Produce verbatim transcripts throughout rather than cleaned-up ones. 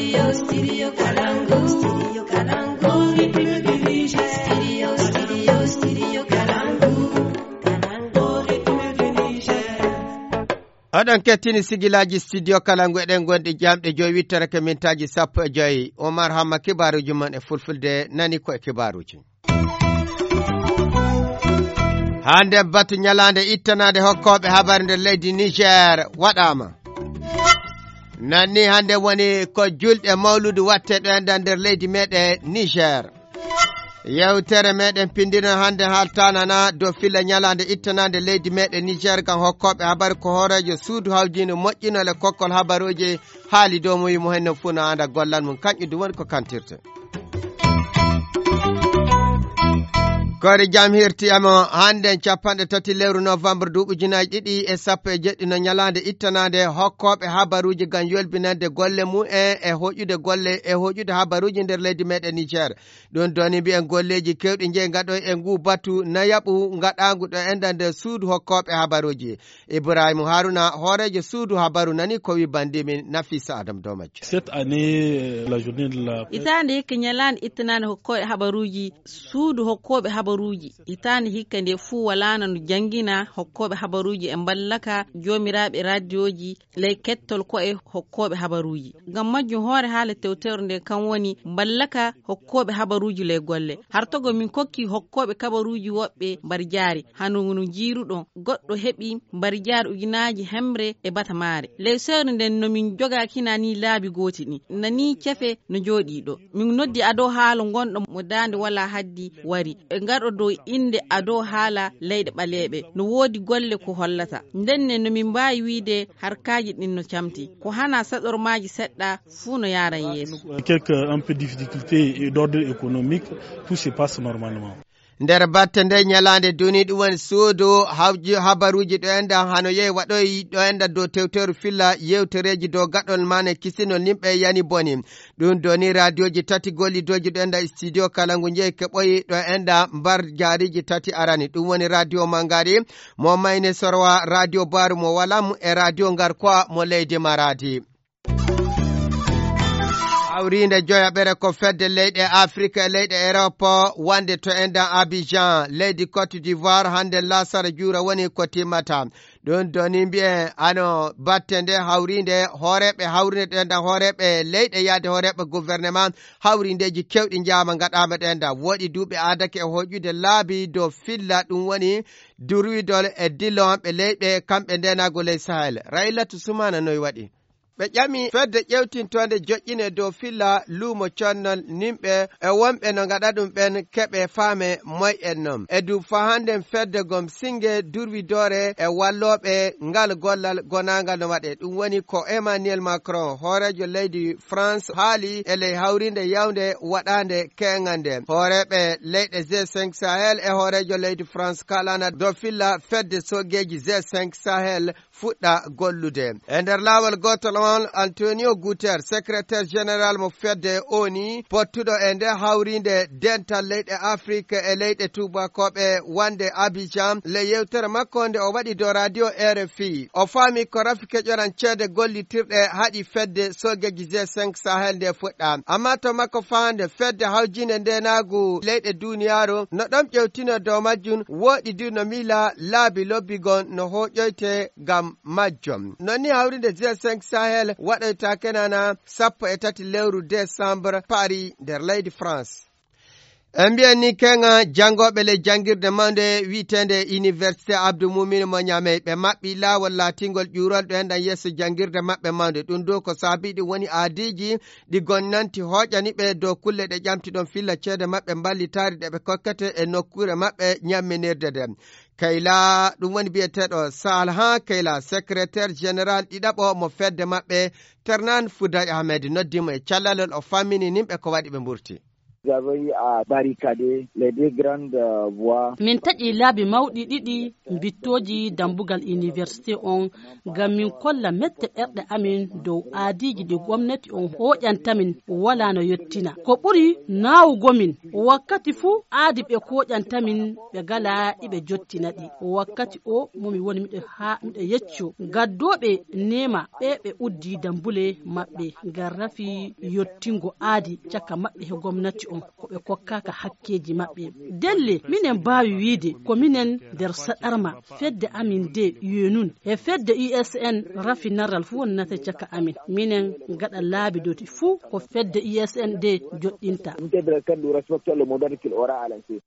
Studio Kalangu. Studio Kalangu. Studio Kalangu. Oɗon kettini sigilaaji studio Kalangu, eɗen gonɗi jamɗe joyi wittere ke mintaaji sappo e joyi. Omar Hamma, kibaaruuji mon e fulfulde, nani ko e kibaaruuji. Hannde batu ñalaande ittanaade hokkooɓe habaru nder leydi Niger waɗaama. Nanni hannde woni ko julɗe mawludu watte ɗo enɗan nder leydi meɗen Niger. Yewtere meɗen pindino hannde haaltanana dow filla ñalaande ittanaande leydi meɗen Niger ngam hokkooɓe habaru ko hooreejo suudu hawjiindu moƴƴinol e kokkol habaruuji haali dow mo wi mo henno fuu no anda gollal mum, kanƴum ɗum woni ko kantirte. Koori jam hirti emo hannde capanɗe tati lewru novembre duuɓi ujunaaji ɗiɗi e sappo e jeɗɗi no ñalaande ittanaande hokkooɓe habaruuji ngam yolbinande golle mum en e hoƴude golle e hoƴude habaruuji nder leydi meɗen Niger. Ɗum ɗoni mbiyen golleeji kewɗi jeyi ngaɗoy e nguu batu nayaɓu ngaɗaangu ɗo enɗan nder suudu hokkooɓe habaruuji. Ibrahima Haruna, hooreejo suudu habaru, nani ko wi banndiimin Nafisa Adam dow majjum. Cette année, euh, la journée de la presse. Hitaande hikka ñalaande ittanaande hokkooɓe habaruuji, suudu hokkooɓe habaruuji. Hitaande hikka nde fuu walaano no janngina hokkooɓe habaruuji e mballaka joomiraaɓe raadiyooji ley kettol ko'e hokkooɓe habaruuji. Ngam majjum, hoore haala tewtere nde kam woni mballaka hokkooɓe habaruuji ley golle. Hartogo min kokki hokkooɓe kabaruuji woɓɓe mbar jaari, hano no njiiruɗon, goɗɗo heɓi mbar jaari ujunaaji hemre e batamaare. Ley sewre nden no min jogaakina ni laabi gooti ɗin. Nani cefe no jooɗii ɗo. Min noddi ado haala ngonɗo mo daande wala haddi wari. E ngaɗo dow innde ado haala leyɗe ɓaleeɓe. No woodi golle ko hollata. Ndenne no min mbaawi wiide harkaaji ɗin no camti. Ko hana saɗormaaji seɗɗa fuu no yaaran yeeso. Quelques un peu difficultés d'ordre économique, tout se passe normalement. Nder batte nde ñalaande duni ɗum woni suudu hawji-, habaruuji ɗo enɗan hano yehi waɗoyi ɗo enɗan dow tewteru filla yewtereeji dow gaɗol maane kisinol nimɓe yani boni. Ɗum doni raadiyooji tati gollidooji ɗo enɗan studio kala ngu jeyi keɓoyi ɗo enɗan mbar jaariiji tati arani. Ɗum woni raadiyo Mangari mo Mayne Sorwa, raadiyo Baaru mo Walam e raadiyo Ngarkwa mo leydi Maradi. Hawriinde joyaɓere ko fedde leyɗe Afirika e leyɗe Erop wonde to enɗan Abidjan, leydi Côte d'Ivoire, hannde laasara juura woni ko timmata. Ɗum doni mbiyen ano batte nde hawriinde hooreeɓe hawriinde ɗo enɗan hooreeɓe leyɗe yaade hooreeɓe gouvernement hawriindeeji kewɗi njaama ngaɗaama ɗo enɗan. Woɗi duuɓi aadake e hoƴude laabi dow filla ɗum woni durwidol e dillowanɓe leyɗe kamɓe ndenago ley Sahel. Raylatu Sumana noy waɗi? Ɓe ƴami fedde ƴewtintoonde joƴƴine dow filla luumo connol nimɓe e wonɓe no ngaɗa ɗum ɓen keɓe faame moy en non. E du fahanden fedde gom singe durwidoore e wallooɓe ngal gollal gonaangal no waɗe. Ɗum woni ko Emmanuel Macron, hooreejo leydi France, haali e ley hawriinde yawnde waɗaande keeŋal nde. Hooreeɓe leyɗe G cinq Sahel e hooreejo leydi France kalana dow filla fedde soogeeji G cinq Sahel fuɗɗa gollude. E nder laawol gootol on, Antonio Guterres, secrétaire général mo fedde O N U, pottuɗo e nde hawriinde dental leyɗe Afrique e leyɗe tuubakooɓe wonde Abidjan, le yewtere makko nde o waɗi dow radio R F I, o faami ko rafi keƴoran ceede gollitirɗe haɗi fedde soogeeji G cinq Sahel nde fuɗɗa. Amma to makko fahande fedde hawjinde ndenaagu leyɗe duniyaaru no ɗon ƴewtino dow majjum, woɗi du no miila laabi lobbigon no hooƴoyte ngam majjum. Non ni hawrinde G cinq Sahel waɗoyta kenana sappo e tati lewru décembre Paris nder leydi France. En mbiyan ni keŋa janngooɓe ley janngirde mawnde wiyeteende Université Abdou Moumin mo Niamey, ɓe maɓɓi laawol laatingol ƴuurol ɗo enɗan yeeso janngirde maɓɓe mawnde. Ɗum dow ko saabii ɗum woni aadiiji ɗi gonnanti hooƴani ɓe dow kulle ɗe ƴamti ɗon filla ceede maɓɓe mballitaari ɗe ɓe kokkete e nokkuure maɓɓe ñamminirde nde. Kayla, ɗum woni biyeteeɗo Salhan Kayla, secrétaire général ɗiɗaɓo mo fedde maɓɓe, Ternan Fouday Ahmed, noddi mo e callalol, o fammini nimɓe ko waɗi ɓe mburti. Nous avons eu à barricader les deux grandes, euh, voies. Min taƴi laabi mawɗi ɗiɗi mbittooji dammbugal université on, ngam min kolla mette ɓerɗe amin dow aadiiji ɗi gomnati on hooƴanta min walaa no yottina. Ko ɓuri naawugo min, wakkati fuu aadi ɓe kooƴanta min ɓe ngalaa iɓe jottina ɗi. Wakkati o mo mi woni miɗo haa miɗo yecco gaddooɓe neema ɓe ɓe uddi dammbule maɓɓe ngam rafi yottingo aadi caka maɓɓe he gomnati on, ko ɓe kokkaaka hakkeeji maɓɓe. Delle, minen mbaawi wiide ko minen nder saɗarma fedde amin nde yenun. He fedde U S N rafi naral fuu wonnata caka amin. Minen ngaɗa laabi doti fuu ko fedde U S N nde joɗɗinta. Vous êtes dans le cadre du respect le modèle qu'il aura à lancer.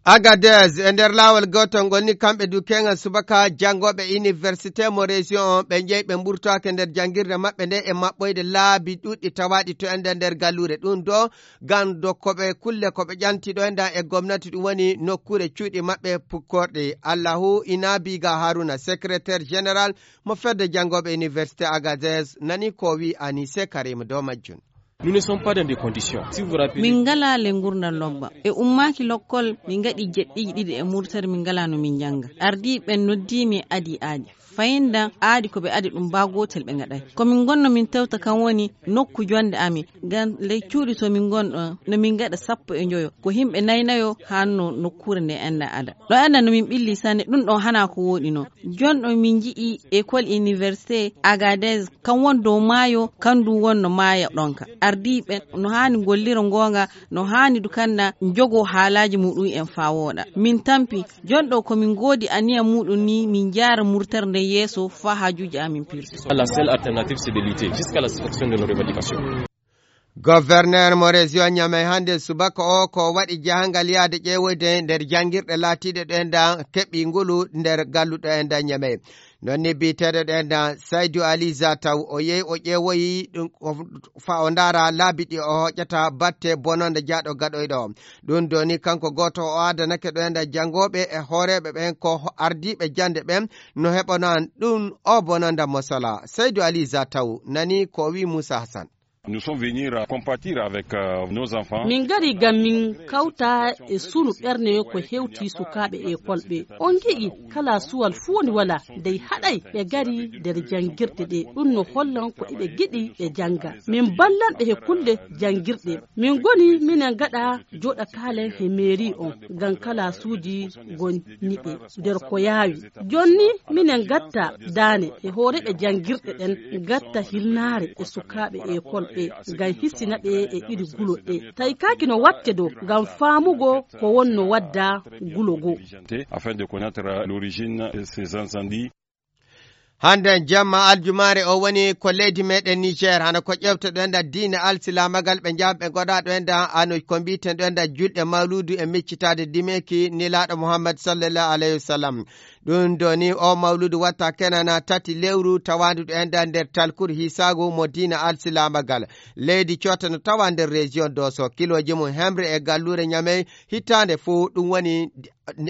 Agadez, e nder laawol gootol ngol ni, kamɓe du keeŋal subaka janngooɓe université mo région on, ɓe njeyi ɓe mburtoake nder janngirde maɓɓe nde e maɓɓoyde laabi ɗuɗɗi tawaaɗi to ende nder galluure. Ɗum ɗo ngam do ko ɓe kulle ko ɓe ƴanti ɗo enda e gomnati, ɗum woni nokkuure cuuɗi maɓɓe pukkorɗe. Allahu Inabiga Haruna, secrétaire général mo fedde janngooɓe université Agadez, nani ko wi Anise Karim dow majjum. Nous ne sommes pas dans des conditions. Si vous vous rappelez, min ngalaa le ngurndan lobba. E ummaaki lokkol, min ngaɗi jeɗɗiiji ɗiɗi e murtere, min ngalaa no min njannga. Ardii ɓen noddii mi e adi aadi. Fayinda aadi ko ɓe adi ɗum baa gootel ɓe ngaɗay. Ko min ngonno min tewta kan woni nokku jonde amin. Ngam ley cuuɗi to min ngon ɗon, no min ngaɗa sappo e njoyo. Ko himɓe nayi nayo hanno nokkuure nde enda ada. Ɗo enda no min ɓilli sanne, ɗum ɗon hana ko wooɗi non. Jonɗo min nji'i école université Agadez, kan won dow maayo, kan du wonno maaya ɗonka. Ardiiɓe no haani gollira ngoonga, no haani du kanna njogo haalaaji muɗum en faa wooɗa. Min tampi, jonɗo ko min ngoodi aniya muɗum ni, min njaara murtere nden yeeso faa haajuuji amin pirsu. La seule alternative, c'est de lutter jusqu'à la satisfaction de nos revendications. Gouverneur mo région Niamey hannde subaka o ko waɗi jahangal yahde ƴeewoyde nder janngirɗe laatiiɗe ɗo enda keɓi ngulu nder galluɗo enda Niamey. Non ni biyeteeɗo ɗo enda Saydou Ali Zataw, o yehi o ƴeewoyi ɗum ko fa o ndaara laabi ɗi o hoƴata batte bononda jaaɗo gaɗoyɗo o. Ɗum doni kanko gooto o adanake ɗo enda janngooɓe e hooreeɓe ɓen ko ho-, ardiiɓe jannde ɓen no heɓono an ɗum o bononda mosala. Saydou Ali Zataw nani ko wi Moussa Hassan. Nous sommes venus, euh, compatir avec, euh, nos enfants. Min ngari ngam min kawta e sunu ɓerne ko hewti sukaaɓe e kolɓe. On ngi'i kala suwal fuu woni wala dey haɗay ɓe ngari nder janngirɗe ɗe. Ɗum no hollan ko eɓe ngiɗi ɓe jannga. Min ballan ɓe he kulle janngirɗe. Min ngoni minen ngaɗa jooɗa kaalen he meeri on ngam kala suuji gonniɓe nder ko yaawi. Jonni minen ngatta daane e hooreeɓe janngirɗe ɗen, ngatta hilnaare e sukaaɓe ekol ɓe, ngam hisina ɓe e iri gulo ɗe. Tawi kaaki no watte dow ngam faamugo ko wonno wadda gulo goo. Afin de connaître l'origine de ces incendies. Hannde jamma aljumaare o woni ko leydi meɗen Niger, hano ko ƴewte ɗo enda diine alsilaamagal ɓe njaham ɓe ngoɗa ɗo enda ano ko mbiten ɗo enda julɗe mawludu e miccitaade dimeeki Nelaaɗo Muhammad sallallahu alayhi wa sallam. Ɗum doni o mawludu watta kenana tati lewru tawandu ɗo enda nder talkur hisaagu mo diine alsilaamagal. Leydi coota no tawa nder région Doso, kilooji mum hemre e galluure Ñamey hittaande fuu ɗum woni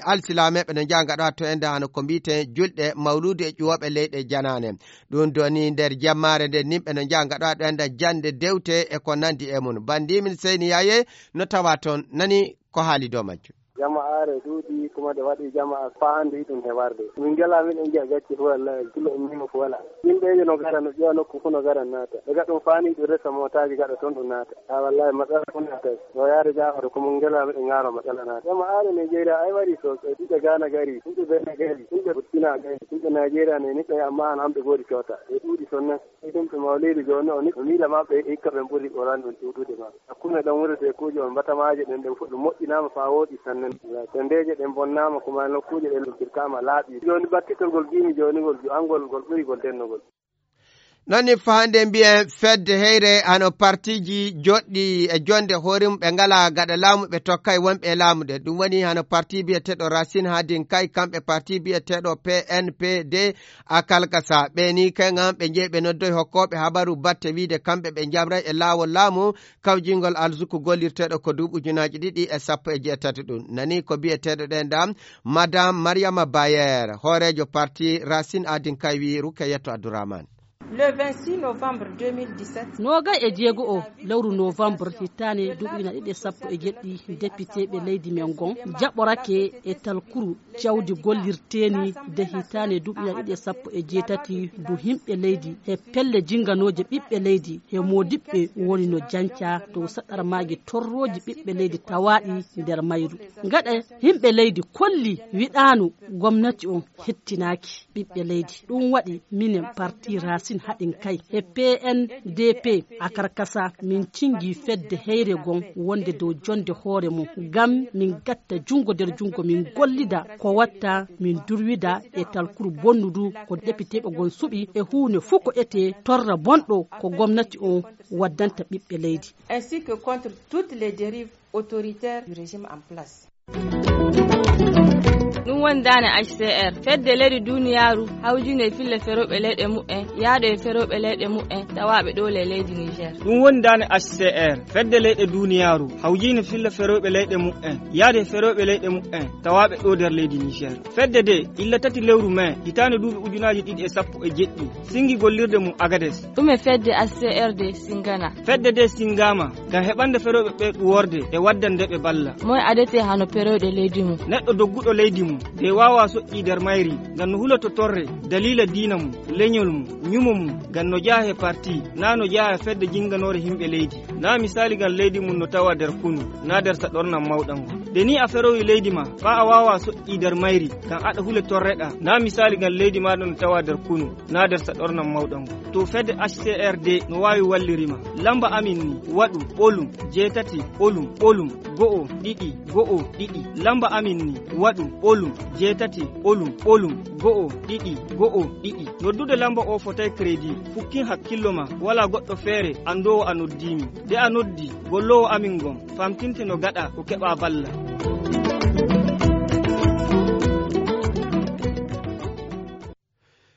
alsilameeɓe no njaha ngaɗa to enda hano ko mbiten julɗe mawludu e ƴuwooɓe leyɗe janaane. Ɗum doni nder jammaare nde nimɓe no njaha ngaɗa ɗo enda jannde dewte e ko nandi e mum. Bandimin Seyni Yaye no tawa toon, nani ko haali dow majjum. Jama'aare ɗuuɗi, kuma ɗe waɗi jama'a faa hannde iɗum heɓarde. Min ngalaa miɗen njiya gacce fof, wallahi, kilo ummiima fof walaa. Yimɓeeje no ngara, no ƴeewa nokku fof no ngara naata. Ɓe ngaɗa ɗum faa nii ɗum resa mootaaji gaɗa toon ɗum naata. A wallahi, matsala fof naata. No yaade Jaafar ko min ngalaa miɗen ŋaaro matsala naata. Jama'aare Nigeria ay waɗi sosai. Yimɓe Ghana ngari, yimɓe Benin ngari, yimɓe Burkina ngari, yimɓe Nigeria ne niɓɓe amma hano hamɓe goodi coota. Ɓe ɗuuɗi sonnan. Ɗum to mawliidu jooni o ni, o miila maɓɓe hikka ɓen ɓuri Qur'an ɗum ɗuuɗude maɓɓe. Hakkunde ɗon wuro teekuuji on batamaaje ɗen, ɗen fof ɗum moƴƴinaama faa wooɗi sanne. Tendeeje ɗen bonnaama, kuma nokkuuje ɗen ɗum pirkaama laaɓi. Jooni battitol ngol ngiimi jooni ngol, angol ngol ɓuri ngol dennogol. Non ni faa hannde mbiyen fedde heyre hano partiiji joɗɗi e jonde hoore mum ɓe ngalaa gaɗa laamu ɓe tokkay wonɓe e laamu ɗe. Ɗum woni hano parti biyeteeɗo Racine Hadin Kay, kamɓe parti biyeteeɗo P N P D a Kalkasa. Ɓe ni kay ngam ɓe njeyi ɓe noddoy hokkooɓe habaru batte wiide kamɓe ɓe njamray e laawol laamu kawjingol alzuku gollirteeɗo ko duuɓi ujunaaji ɗiɗi e sappo e jeetati ɗum. Nani ko biyeteeɗo ɗen ɗam Madame Mariama Bayer, hooreejo parti Racine Adin Kay wi Rukayatu Abdourahmane. Le vingt-six novembre deux mille dix-sept. Noogay e jeego o lewru novembre hitaande duuɓi ujunaaji ɗiɗi e sappo e jeɗɗi, depiteeɓe leydi men ngon jaɓorake e talkuru jawdi gollirteeni de hitaande duuɓi ujunaaji ɗiɗi e sappo e jeetati, du himɓe leydi he pelle jinganooje ɓiɓɓe leydi he moodiɓɓe woni no janca dow saɗarmaaji torrooji ɓiɓɓe leydi tawaaɗi nder mayru. Gaɗa himɓe leydi kolli wiɗaanu gomnati on hettinaaki ɓiɓɓe leydi. Ɗum waɗi minen parti Racine Haɗin Kay e P N D P a Karkasa, min cingi fedde heyre gon wonde dow jonde hoore mum, ngam min gatta junngo nder junngo, min gollida ko watta, min durwida e talkuru bonnudu ko depiteeɓe gon suɓi e huunde fuu ko etee torra bonɗo ko gomnati on waddanta ɓiɓɓe leydi. Ainsi que contre toutes les dérives autoritaires du régime en place. Ɗum woni daane H C R, fedde leyɗe duniyaaru hawjinde e fille ferooɓe leyɗe mu'en, yaade e ferooɓe leyɗe mu'en tawaaɓe ɗo le leydi Niger. Ɗum woni daane H C R, fedde leyɗe duniyaaru hawjinde fille ferooɓe leyɗe mu'en, yaade e ferooɓe leyɗe mu'en tawaaɓe ɗo nder leydi Niger. Fedde de illa tati lewru mai hitaande duuɓi ujunaaji ɗiɗi e sappo e jeɗɗi, singi gollirde mum Agades. Ɗum e fedde H C R de singana. Fedde de singama ngam heɓande ferooɓe ɓe ɗuworde e waddande ɓe balla. Moy adete hano ferooɓe leydi mum? Neɗɗo dogguɗo leydi mum de waawa soƴƴi nder mayri ngam no huloto torre daliila diina mum, leñol mum, ñumo mum, ngam no jeyaa he parti, na no jeyaa he fedde jinganoore himɓe leydi. Na misali ngam leydi mum no tawa nder kunu, na nder saɗornan mawɗan ngon. Nde ni a ferowi leydi ma, faa a waawa soƴƴi nder mayri ngam aɗa hule torreɗa, na misali ngam leydi maaɗa no tawa nder kunu, na nder saɗornan mawɗan ngon. To fedde H C R de no waawi walliri ma. Lamba amin ni, waɗu, ɓolum, jeetati, ɓolum, ɓolum, go'o, ɗiɗi, go'o, ɗiɗi. Lamba amin ni, waɗu, ɓolum, jeetati, ɓolum, ɓolum, go'o, ɗiɗi, go'o, ɗiɗi. Noddude lamba o fotay crédit, fukkin hakkillo ma, walaa goɗɗo feere anndoowo a noddii mi. Nde a noddi, golloowo amin ngon famtinte no gaɗa ko keɓa balla.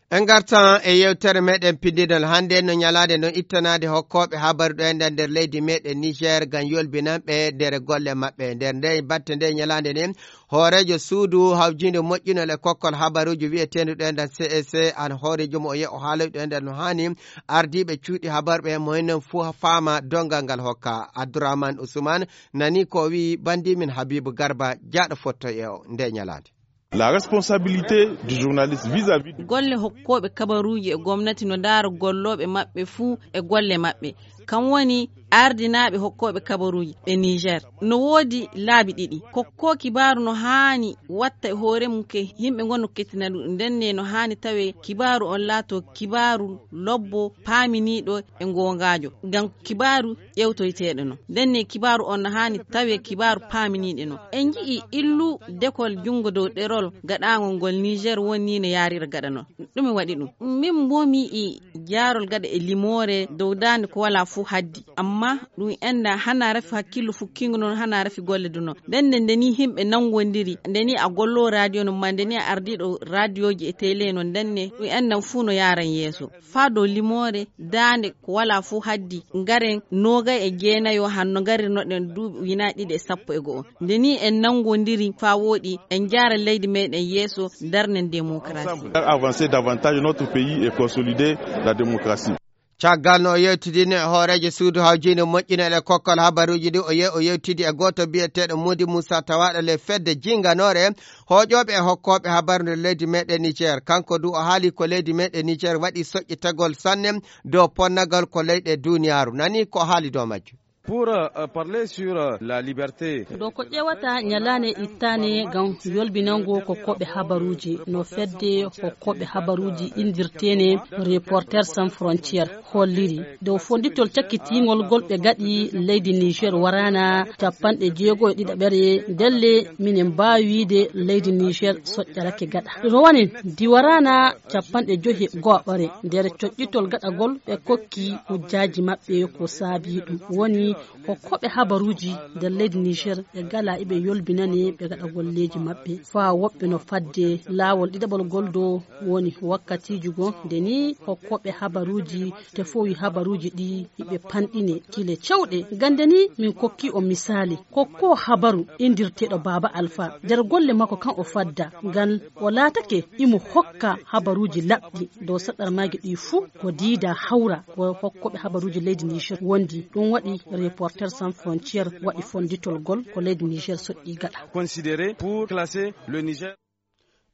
En ngartan e yewtere meɗen pinndinol hannde no ñalaande non ittanaade hokkooɓe habaru ɗo enɗan nder leydi meɗen Niger ngam yolbinanɓe nder golle maɓɓe. Nder nde batte nde ñalaande nden, hooreejo suudu hawjiinde moƴƴinol e kokkol habaruuji wiyeteendu ɗo enɗan C E C an hooreejo mo o yehi o haaloyi ɗo enɗan no haani ardiiɓe cuuɗi habaru ɓe mo enen fuu faama dongal ngal hokka. Abdourahmane Ousmane nani ko o wiyi banndi min Habibou Garba jaaɗo fotto e o nde ñalaande. La responsabilité du journaliste vis-à-vis de golle hokkooɓe kabaruuji e gomnati no ndaara gollooɓe maɓɓe fuu e golle maɓɓe. Kam woni ardinaaɓe hokkooɓe kabaruuji e Niger. No woodi laabi ɗiɗi. Kokkoo kibaaru no haani watta e hoore mum ke yimɓe ngon no kettina ɗum. Ndenne no haani tawe kibaaru on laato kibaaru lobbo paaminiiɗo e ngoongaajo. Ngam kibaaru ƴewtoyteeɗo non. Ndenne kibaaru on no haani tawe kibaaru paaminiiɗo non. En nji'i illu dekol junngo dow ɗerol gaɗaangol ngol Niger woni no yaarira gaɗa non. Ɗume waɗi ɗum? Min mbo mi yi'i jaarol gaɗa e limoore dow daande ko walaa fuu haddi. Amma ɗum enna hana rafi hakkillo fukkingo non, hana rafi golle du non. Ndenne nde ni yimɓe nangondiri, nde ni a gollo radio non, ma nde ni a ardiiɗo radioji e télé non, ndenne ɗum enna fuu no yaaran yeeso. Faa dow limoore daande ko walaa fuu haddi, ngaren noogay e jeenayo hanno ngarirnoɗen duuɓi ujunaaji ɗiɗi e sappo e go'o. Nde ni en nangondiri faa wooɗi, en njaara leydi meɗen yeeso, darnen démocratie. Ensemble, faire avancer davantage notre pays et consolider la démocratie. Caggal no o yewtidini e hooreejo suudu hawjiinde moƴƴinol e kokkol habaruuji ɗi, o ye-, o yewtidi e gooto biyeteeɗo Mody Moussa tawaaɗo le fedde jinganoore hooƴooɓe e hokkooɓe habaru nder leydi meɗen Niger. Kanko du o haali ko leydi meɗen Niger waɗi soƴƴitagol sanne dow ponnagal ko leyɗe duniyaaru. Nani ko o haali dow majjum. Pour, euh, parler sur, euh, la liberté. Ɗo ko ƴeewata ñalaande ittaande ngam yolbinango kokkooɓe habaruuji no fedde kokkooɓe habaruuji inndirteene Reporters Sans Frontières holliri. Dow fonnditol cakkitiingol ngol ɓe gaɗi leydi Niger waraana capanɗe jeego e ɗiɗaɓere, ndelle minen mbaawi wiide leydi Niger soƴƴarake gaɗa. Rowane ndi waraana capanɗe joyi e go'aɓere nder coƴƴitol gaɗagol ɓe kokki hujjaaji maɓɓe ko saabii ɗum. Woni Hokkooɓe habaruuji nder leydi Niger ɓe gala iɓe yolbinane ɓe gaɗa golleeji maɓɓe. Faa woɓɓe no fadde laawol ɗiɗaɓol gol dow woni wakkatiiji goo nde ni hokkooɓe habaruuji tefowi habaruuji ɗi iɓe panɗine kile cewɗe. Gande ni min kokki o misaali kokko habaru indirteeɗo Baaba Alfa nder golle makko kan o fadda ngal o laatake imo hokka habaruuji laɓɗi dow saɗɗarmaaji ɗi fuu ko diida hawra ko hokkooɓe habaruuji leydi Niger wondi. Ɗum waɗi Reporter Sans Frontières waɗi fonnditol gol ko leydi Niger soƴƴi gaɗa. Considéré pour classer le Niger.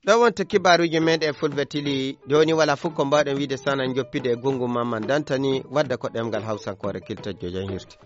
Ɗo wonto kibaaruuji meeɗen fulɓe tili jooni wala fof ko mbaawɗen wiide sana joppide e gunngu mamman dantani wadda ko ɗemngal hawsankoore kilta jojan hirti.